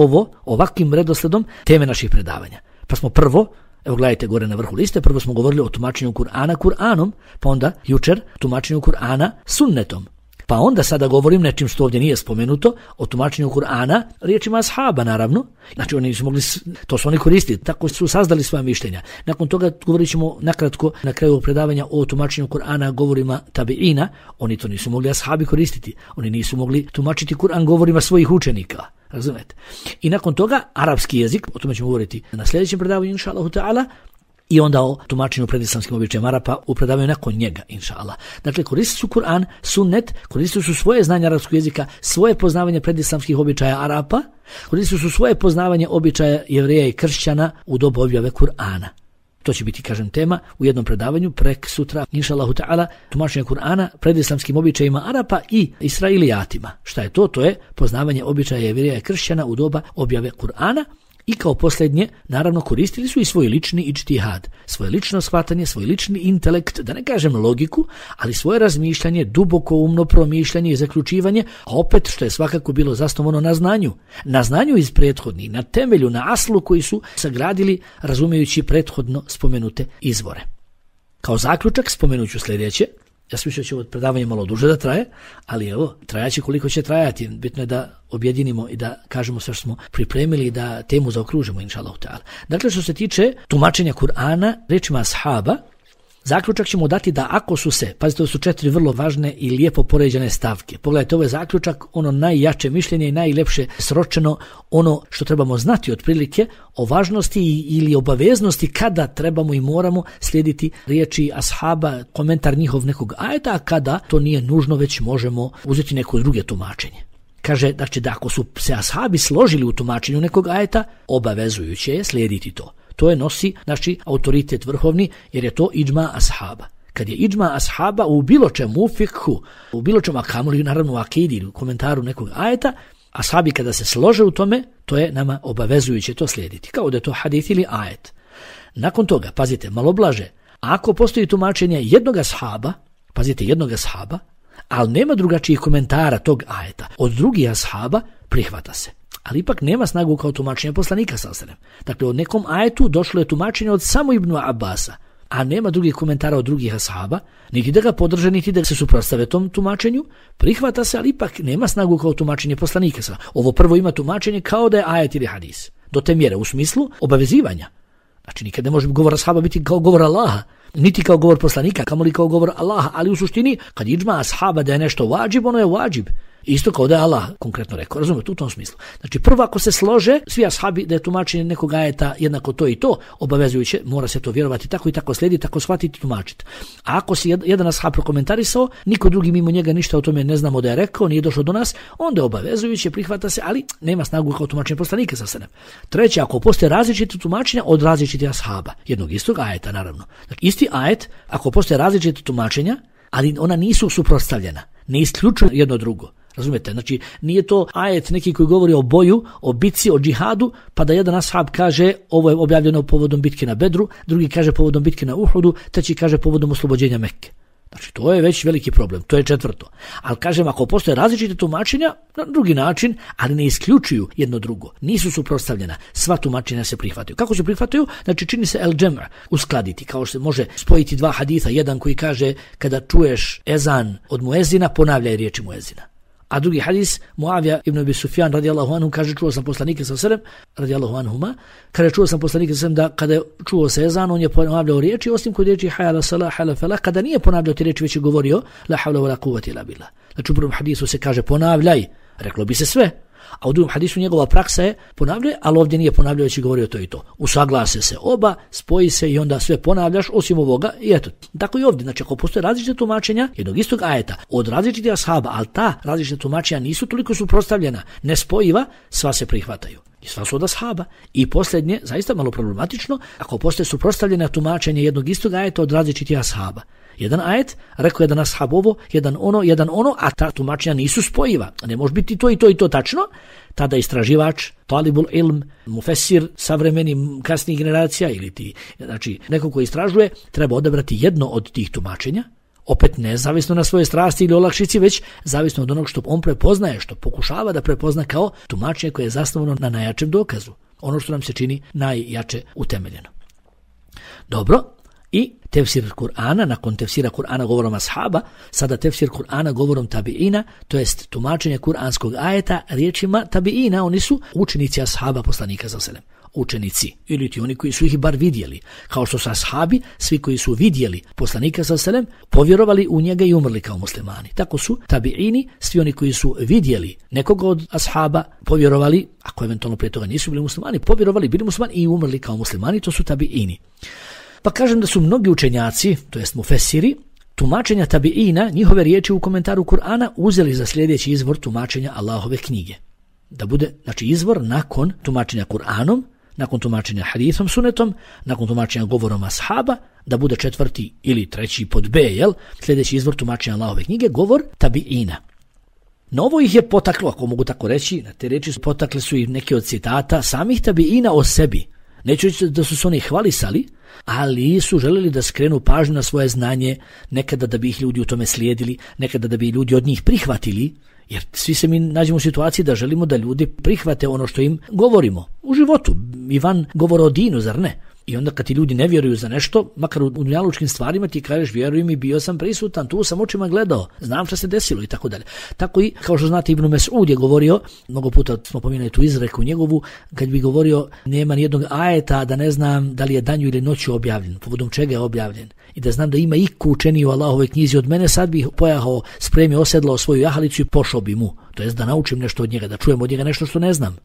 ovakvim redosledom teme naših predavanja. Pa smo prvo, evo gledajte gore na vrhu liste, prvo smo govorili o tumačenju Kur'ana Kur'anom, pa onda jučer tumačenju Kur'ana sunnetom. Pa onda sada govorim nečim što ovdje nije spomenuto, o tumačenju Kur'ana riječima ashaba naravno. Znači oni su mogli, to su oni koristili, tako su sazdali svoja mišljenja. Nakon toga govorit ćemo nakratko na kraju ovog predavanja o tumačenju Kur'ana govorima tabiina. Oni to nisu mogli ashabi koristiti. Oni nisu mogli tumačiti Kur'an govorima svojih učenika. Razumete? I nakon toga arapski jezik, o tome ćemo govoriti na sljedećem predavanju inša Allahu ta'ala, i onda o tumačenju predislamskim običajem Arapa u predavanju nakon njega, inša Allah. Dakle, koristili su Kur'an, sunnet, koristili su svoje znanje arapskog jezika, svoje poznavanje predislamskih običaja Arapa, koristili su svoje poznavanje običaja Jevreja i kršćana u dobu objave Kur'ana. To će biti, kažem, tema u jednom predavanju prek sutra, inša Allahu ta'ala, tumačenje Kur'ana predislamskim običajima Arapa i Israilijatima. Šta je to? To je poznavanje običaja Jevreja i kršćana u doba objave Kur'ana. I kao posljednje, naravno, koristili su i svoj lični ijtihad, svoje lično shvatanje, svoj lični intelekt, da ne kažem logiku, ali svoje razmišljanje, duboko umno promišljanje i zaključivanje, a opet što je svakako bilo zasnovano na znanju iz prethodnih, na temelju, na aslu koji su sagradili razumijući prethodno spomenute izvore. Kao zaključak spomenuću sljedeće. Ja sam mislio da će ovo predavanje malo duže da traje, ali evo, trajaće koliko će trajati. Bitno je da objedinimo i da kažemo sve što smo pripremili i da temu zaokružimo, inša Allah ta'ala. Dakle, što se tiče tumačenja Kur'ana riječima ashaba, zaključak ćemo dati da ako su se, pazite, to su 4 vrlo važne i lijepo poređene stavke. Pogledajte, ovo je zaključak, ono najjače mišljenje i najlepše sročeno, ono što trebamo znati otprilike o važnosti ili obaveznosti kada trebamo i moramo slijediti riječi ashaba, komentar njihov nekog ajeta, a kada to nije nužno, već možemo uzeti neko druge tumačenje. kaže da ako su se ashabi složili u tumačenju nekog ajeta, obavezujuće je slijediti to. To je nosi autoritet vrhovni, jer je to idžma ashaba. Kad je idžma ashaba u bilo čemu, u fikhu, u bilo čemu, a kamoli naravno u akidi, u komentaru nekog ajeta, ashabi kada se slože u tome, to je nama obavezujuće to slijediti, kao da je to hadith ili ajet. Nakon toga, pazite, malo blaže, ako postoji tumačenje jednog ashaba, pazite, jednog ashaba, ali nema drugačijih komentara tog ajeta od drugih ashaba, prihvata se. Ali ipak nema snagu kao tumačenje poslanika sallallahu alejhi ve sellem. Dakle, od nekom ajetu došlo je tumačenje od samo Ibnu Abasa, a nema drugih komentara od drugih ashaba, niti da ga podrže, niti da se suprotstave tom tumačenju, prihvata se, ali ipak nema snagu kao tumačenje poslanika sallallahu alejhi ve sellem. Ovo prvo ima tumačenje kao da je ajet ili hadis. Do te mjere u smislu obavezivanja. Znači, nikad ne može govor ashaba biti kao govor Allaha, niti kao govor poslanika, kamoli kao govor Allaha, ali u suštini, kad idžma ashaba da je nešto vađib, ono je vađib. Isto kao da je Allah konkretno rekao, razumijete, u tom smislu. Znači, prvo ako se slože svi ashabi da je tumačenje nekog ajeta jednako to i to, obavezujuće, mora se to vjerovati tako i tako slijediti, tako shvatiti, tumačiti. A ako si jedan ashab prokomentarisao, niko drugi mimo njega ništa o tome ne znamo da je rekao, nije došlo do nas, onda je obavezujuće, prihvata se, ali nema snagu kao tumačenje poslanika sa sebe. Treće, ako postoje različite tumačenja od različitih ashaba, jednog istog ajeta naravno. Dakle, isti ajet, ako postoje različite tumačenja, ali ona nisu suprotstavljena, ne isključuju jedno drugo. Razumijete? Znači, nije to ajet neki koji govori o boju, o bitci, o džihadu, pa da jedan ashab kaže ovo je objavljeno povodom bitke na Bedru, drugi kaže povodom bitke na Uhudu, treći kaže povodom oslobođenja Mekke. Znači, to je već veliki problem, to je četvrto. Ali kažem, ako postoje različite tumačenja, na drugi način, ali ne isključuju jedno drugo, nisu suprotstavljena, sva tumačenja se prihvataju. Kako se prihvataju? Znači, čini se el-džem' uskladiti, kao što se može spojiti dva haditha, jedan koji kaže kada čuješ ezan od muezina, ponavljaj riječi muezina. A drugi hadis, Muavija ibn Abi Sufjan radijallahu anhu kaže, čuo sam poslanika sallallahu alejhi ve sellem, radijallahu anhuma, kaže čuo sam poslanika sallallahu alejhi ve sellem da kada je čuo se ezan, on je ponavljao riječi, osim kod riječi hayya ala salah, hayya ala falah, kada nije ponavljao te riječi, već je govorio la havla wala quwwata illa billah. Znači u prvom hadisu se kaže ponavljaj, reklo bi se sve, a u drugom hadisu njegova praksa je ponavljaj, ali ovdje nije ponavljao, već je govorio to i to. Usaglase se oba, spoji se i onda sve ponavljaš osim ovoga i eto. Tako i ovdje. Znači ako postoje različite tumačenja jednog istog ajeta od različitih ashaba, ali ta različita tumačenja nisu toliko suprotstavljena, nespojiva, sva se prihvataju. I sva su od ashaba. I posljednje, zaista malo problematično, ako postoje suprotstavljena tumačenja jednog istog ajeta od različitih ashaba. Jedan ajet, rekao jedan ashab ovo, jedan ono, a ta tumačenja nisu spojiva. Ne može biti to i to i to tačno. Tada istraživač, talibul ilm, mufesir, savremeni kasnijih generacija ili znači neko ko istražuje, treba odabrati jedno od tih tumačenja, opet ne zavisno na svoje strasti ili olakšici, već zavisno od onog što on prepoznaje, što pokušava da prepozna kao tumačenje koje je zasnovano na najjačem dokazu. Ono što nam se čini najjače utemeljeno. Dobro. I tefsir Kur'ana, nakon tefsira Kur'ana govorom ashaba, sada tefsir Kur'ana govorom tabiina, to jest tumačenje kuranskog ajeta riječima tabiina, oni su učenici ashaba poslanika sallallahu alejhi ve sellem. Učenici, ili ti oni koji su ih bar vidjeli, kao što su ashabi, svi koji su vidjeli poslanika sallallahu alejhi ve sellem, povjerovali u njega i umrli kao muslimani. Tako su tabiini, svi oni koji su vidjeli nekoga od ashaba, povjerovali, ako eventualno prije toga nisu bili muslimani, povjerovali, bili muslimani i umrli kao muslimani, to su tabiini. Pa kažem da su mnogi učenjaci, to jest mufesiri, tumačenja tabiina, njihove riječi u komentaru Kur'ana uzeli za sljedeći izvor tumačenja Allahove knjige. Da bude, znači, izvor nakon tumačenja Kur'anom, nakon tumačenja hadithom, sunetom, nakon tumačenja govorom ashaba, da bude četvrti ili treći pod B, sljedeći izvor tumačenja Allahove knjige, govor tabiina. No ovo ih je potaklo, ako mogu tako reći, na te riječi potakle su i neke od citata samih tabiina o sebi. Neću reći da su se oni hvalisali, ali su želeli da skrenu pažnju na svoje znanje, nekada da bi ih ljudi u tome slijedili, nekada da bi ljudi od njih prihvatili, jer svi se mi nađemo u situaciji da želimo da ljudi prihvate ono što im govorimo u životu. Ivan govori o dinu, zar ne? I onda kad ti ljudi ne vjeruju za nešto, makar u dunjalučkim stvarima, ti kažeš vjeruj mi, bio sam prisutan, tu sam očima gledao, znam što se desilo i tako dalje. Tako i, kao što znate, Ibn Mes'ud je govorio, mnogo puta smo pominjali tu izreku njegovu, kad bi govorio nema nijednog ajeta da ne znam da li je danju ili noću objavljen, povodom čega je objavljen. I da znam da ima iku učeniji u Allahovoj knjizi od mene, sad bih pojahao, spremio, osedlao svoju jahalicu i pošao bi mu. To jest da naučim nešto od njega, da čujem od njega nešto što ne znam.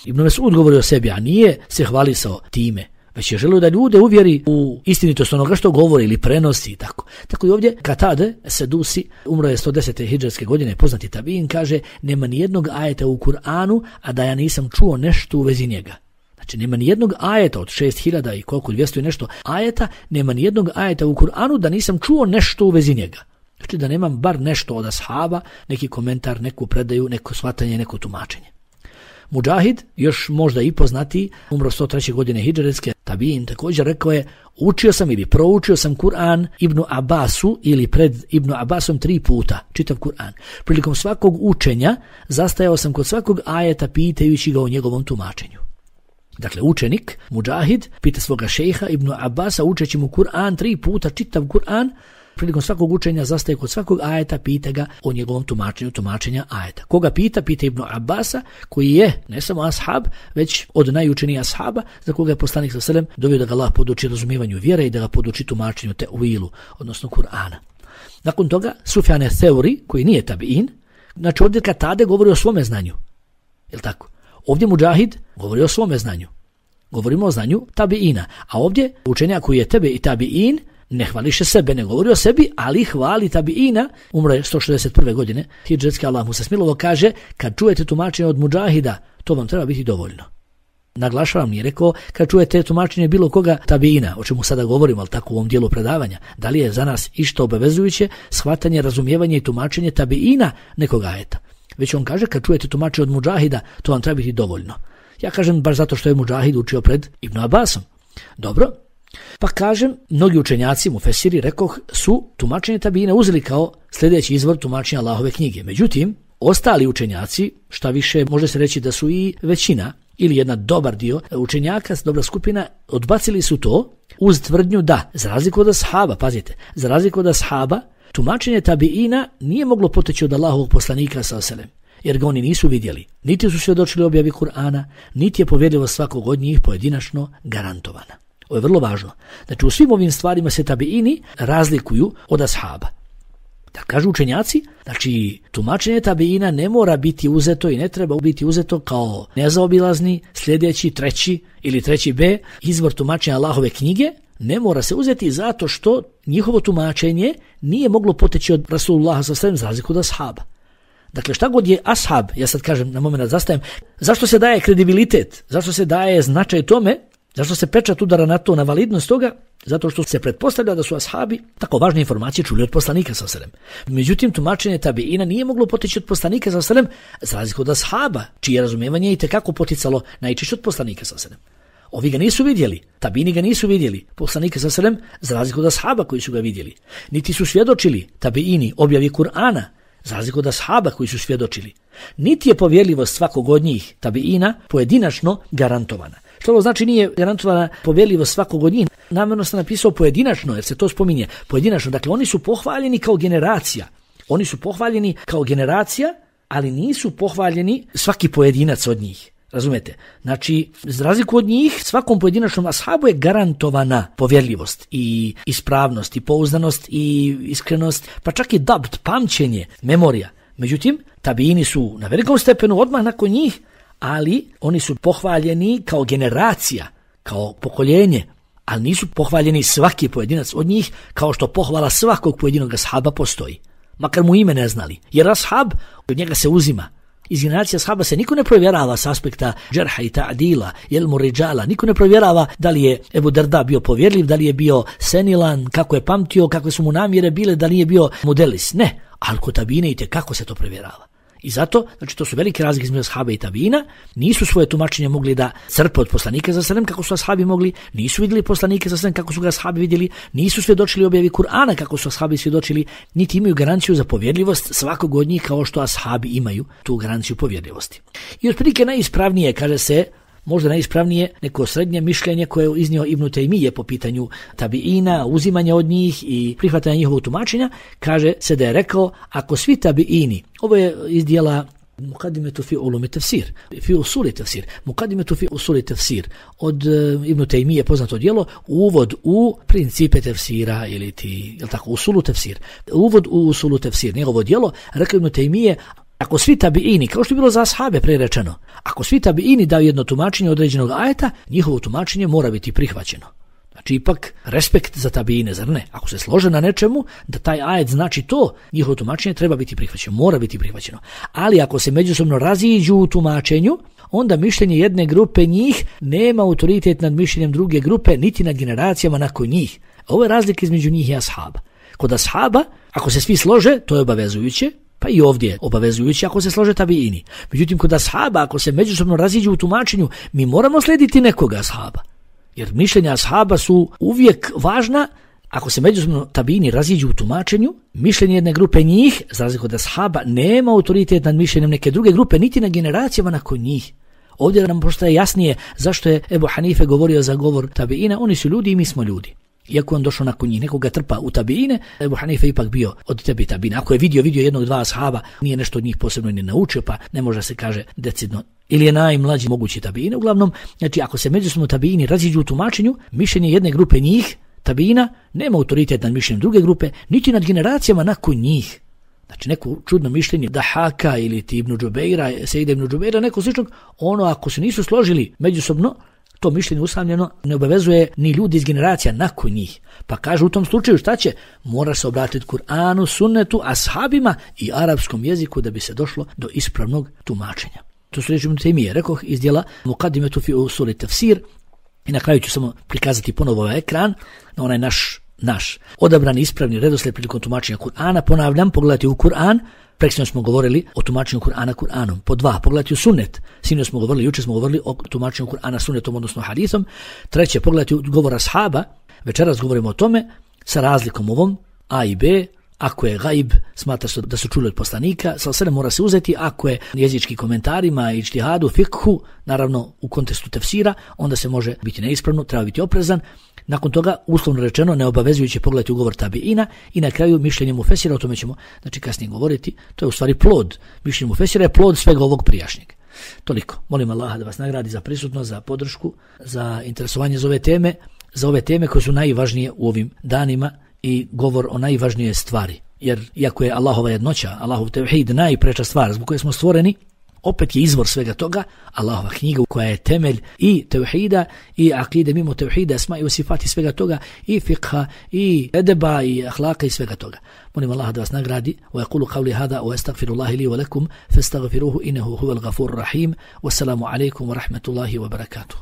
Ibn Mes'ud govori o sebi, a nije se hvalisao time, već je želio da ljude uvjeri u istinitost onoga što govori ili prenosi i tako. Tako i ovdje Katade Sedusi, umro je 110. hidžretske godine, poznati tabiin, kaže nema ni jednog ajeta u Kur'anu, a da ja nisam čuo nešto u vezi njega. Znači nema ni jednog ajeta od 6000 i koliko 200 i nešto ajeta, nema ni jednog ajeta u Kur'anu da nisam čuo nešto u vezi njega. Znači da nemam bar nešto od ashaba, neki komentar, neku predaju, neko shvatanje, neko tumačenje. Mudžahid, još možda i poznati, umro 103. godine hidžretske, tabiin, također rekao je, učio sam ili proučio sam Kur'an Ibnu Abbasu ili pred Ibnu Abbasom 3 puta, čitav Kur'an. Prilikom svakog učenja zastajao sam kod svakog ajeta pitajući ga o njegovom tumačenju. Dakle, učenik, Mudžahid, pita svoga šejha Ibnu Abbasa, učeći mu Kur'an 3 puta, čitav Kur'an, prilikom svakog učenja zastaje kod svakog ajeta, pita ga o njegovom tumačenja ajeta. Koga pita? Pita Ibnu Abbasa, koji je ne samo ashab, već od najučenijih ashaba, za koga je poslanik sallallahu alejhi ve sellem dovio da ga Allah poduči razumijevanju vjere i da ga poduči tumačenju tevilu, odnosno Kur'ana. Nakon toga, Sufjan Theuri, koji nije tabiin, znači ovdje Katade govori o svome znanju. Jel tako? Ovdje Mudžahid govori o svome znanju. Govorimo o znanju tabiina. A ovdje učenjak koji je tebe i tabiin ne hvališe sebe, ne govori o sebi, ali hvali tabiina. Umro je 161. godine hidžretske, Allah mu se smilovo, kaže kad čujete tumačenje od Mudžahida, to vam treba biti dovoljno. Naglašavam, nije rekao kad čujete tumačenje bilo koga tabiina, o čemu sada govorimo, ali tako u ovom dijelu predavanja. Da li je za nas išto obavezujuće shvatanje, razumijevanje i tumačenje tabiina nekoga ajeta? Već on kaže kad čujete tumačenje od Mudžahida, to vam treba biti dovoljno. Ja kažem baš zato što je Mudžahid učio pred Ibnu Abbasom. Dobro, pa kažem, mnogi učenjaci, mufesiri, rekoh, su tumačenje tabiina uzeli kao sljedeći izvor tumačenja Allahove knjige. Međutim, ostali učenjaci, šta više može se reći da su i većina ili jedna dobar dio učenjaka, dobra skupina, odbacili su to uz tvrdnju da, za razliku od ashaba, pazite, za razliku od ashaba, tumačenje tabiina nije moglo poteći od Allahovog poslanika sallallahu alejhi ve sellem, jer ga oni nisu vidjeli. Niti su svjedočili objavi Kur'ana, niti je povjerljivost svakog od njih pojedinačno garantovana. Ovo je vrlo važno. Znači u svim ovim stvarima se tabiini razlikuju od ashaba. Da kažu učenjaci, znači tumačenje tabiina ne mora biti uzeto i ne treba biti uzeto kao nezaobilazni, sljedeći, treći ili treći B, izvor tumačenja Allahove knjige, ne mora se uzeti zato što njihovo tumačenje nije moglo poteći od Rasulullaha sallallahu alejhi ve sellem za razliku od ashaba. Dakle, šta god je ashab, ja sad kažem, na moment zastajem, zašto se daje kredibilitet, zašto se daje značaj tome, zašto se pečat udara na to, na validnost toga? Zato što se pretpostavlja da su ashabi tako važne informacije čuli od poslanika sallallahu alejhi ve sellem. Međutim, tumačenje tabiina nije moglo poteći od poslanika sallallahu alejhi ve sellem za razliku od ashaba, čije razumijevanje je itekako poticalo najčešće od poslanika sallallahu alejhi ve sellem. Ovi ga nisu vidjeli, tabiini ga nisu vidjeli, poslanika sallallahu alejhi ve sellem za razliku od ashaba koji su ga vidjeli. Niti su svjedočili tabiini objavi Kur'ana za razliku od ashaba koji su svjedočili. Niti je povjerljivost svakog od njih tabiina pojedinačno garantovana. Što ovo znači nije garantovana povjerljivost svakog od njih? Namjerno sam napisao pojedinačno, jer se to spominje pojedinačno. Dakle, oni su pohvaljeni kao generacija. Oni su pohvaljeni kao generacija, ali nisu pohvaljeni svaki pojedinac od njih. Razumete? Znači, za razliku od njih, svakom pojedinačnom ashabu je garantovana povjerljivost i ispravnost i pouzdanost i iskrenost, pa čak i dabt, pamćenje, memorija. Međutim, tabiini su na velikom stepenu odmah nakon njih, ali oni su pohvaljeni kao generacija, kao pokoljenje, ali nisu pohvaljeni svaki pojedinac od njih kao što pohvala svakog pojedinog ashaba postoji. Makar mu ime ne znali. Jer ashab, od njega se uzima. Iz generacije ashaba se niko ne provjerava s aspekta džerha i ta'dila, jelmu ridžala. Niko ne provjerava da li je Ebu Darda bio povjerljiv, da li je bio senilan, kako je pamtio, kakve su mu namjere bile, da li je bio mudelis. Ne, ali kod tabiina kako se to provjerava. I zato, znači to su velike razlike između ashaba i tabiina, nisu svoje tumačenje mogli da crpe od poslanika sallallahu alejhi ve sellem kako su ashabi mogli, nisu vidjeli poslanike sallallahu alejhi ve sellem kako su ga ashabi vidjeli, nisu svjedočili objavi Kur'ana kako su ashabi svjedočili, niti imaju garanciju za povjerljivost svakog od njih kao što ashabi imaju tu garanciju povjerljivosti. I otprilike najispravnije, kaže se, možda najispravnije neko srednje mišljenje koje je iznio Ibn Tejmije po pitanju tabiina, uzimanja od njih i prihvatanja njihovog tumačenja, kaže se da je rekao, ako svi tabiini, ovo je iz dijela Muqaddimetu fi ulumi tafsir, fi usuli tafsir, Muqaddimetu fi usuli tafsir, od Ibn Tejmije poznato djelo, uvod u principe tafsira ili ti, jel tako, usulu tafsir, uvod u usulu tafsir, njegovo djelo, rekao Ibn Tejmije, Ako svi tabiini, kao što je bilo za ashabe prerečeno, ako svi tabiini daju jedno tumačenje određenog ajeta, njihovo tumačenje mora biti prihvaćeno. Znači ipak respekt za tabiine, zar ne? Ako se slože na nečemu da taj ajet znači to, njihovo tumačenje treba biti prihvaćeno, mora biti prihvaćeno. Ali ako se međusobno raziđu u tumačenju, onda mišljenje jedne grupe njih nema autoritet nad mišljenjem druge grupe, niti nad generacijama nakon njih. Ovo je razlika između njih i ashaba. Kod ashaba, ako se svi slože, to je obavezujuće, pa i ovdje je obavezujuće ako se slože tabiini. Međutim, kod ashaba, ako se međusobno raziđu u tumačenju, mi moramo slijediti nekoga ashaba. Jer mišljenja ashaba su uvijek važna. Ako se međusobno tabiini raziđu u tumačenju, mišljenje jedne grupe njih, za razliku od ashaba, nema autoritet nad mišljenjem neke druge grupe, niti na generacijama nakon njih. Ovdje nam postaje jasnije zašto je Ebu Hanife govorio za govor tabiina. Oni su ljudi i mi smo ljudi. Iako on došao nakon njih, nekoga trpa u tabiine, Ebu Hanife ipak bio od tebi tabiina. Ako je vidio jednog, dva ashaba, nije nešto od njih posebno ni naučio, pa ne može se kaže decidno. Ili je najmlađi mogući tabiine. Uglavnom, znači ako se međusobno tabiini raziđu u tumačenju, mišljenje jedne grupe njih, tabiina, nema autoritet nad mišljenjem druge grupe, niti nad generacijama nakon njih. Znači neko čudno mišljenje Dahaka ili ti Ibn Džubeira, Sejda Ibn Džubeira, neko sličnog, ono ako se nisu složili međusobno, to mišljenje usamljeno ne obavezuje ni ljudi iz generacija nakon njih. Pa kaže u tom slučaju šta će? Mora se obratiti Kur'anu, sunnetu, ashabima i arapskom jeziku da bi se došlo do ispravnog tumačenja. To su reći Ibn Taymije, rekoh iz djela Muqaddimetu fi usuli tafsir. I na kraju ću samo prikazati ponovo ovaj ekran na onaj naš odabrani ispravni redoslijed prilikom tumačenja Kur'ana. Ponavljam, pogledajte u Kur'an. Preksino smo govorili o tumačenju Kur'ana Kur'anom. Po 2, pogledajte u sunnet. Sinoć smo govorili, juče smo govorili o tumačenju Kur'ana sunnetom, odnosno hadithom. 3, pogledajte govor ashaba. Večeras govorimo o tome sa razlikom ovom A i B. Ako je gaib, smatra se da su čuli od poslanika, sa mora se uzeti. Ako je jezički komentarima i ijtihadu, fikhu, naravno u kontekstu tefsira, onda se može biti neispravno, treba biti oprezan. Nakon toga, uslovno rečeno, neobavezujuće pogledati ugovor tabiina i na kraju mišljenje mufesira, o tome ćemo kasnije govoriti. To je u stvari plod. Mišljenje mufesira je plod svega ovog prijašnjeg. Toliko. Molim Allaha da vas nagradi za prisutnost, za podršku, za interesovanje za ove teme koje su najvažnije u ovim danima i govor o najvažnijoj stvari. Jer iako je Allahova jednoća, Allahov tevhid najpreča stvar zbog koje smo stvoreni, opet je izvor svega toga Allahova knjiga koja je temelj i tevhida i akide, mimo tevhida, esma i sifati svega toga, i fikha i edeba i ahlaka i svega toga. Molim Allaha da vas nagradi. Wa yaqulu qawli hada wa astaghfirullahi li wa lakum fastaghfiruhu innahu huwal ghafurur rahim. Wassalamu alaykum wa rahmatullahi wa barakatuh.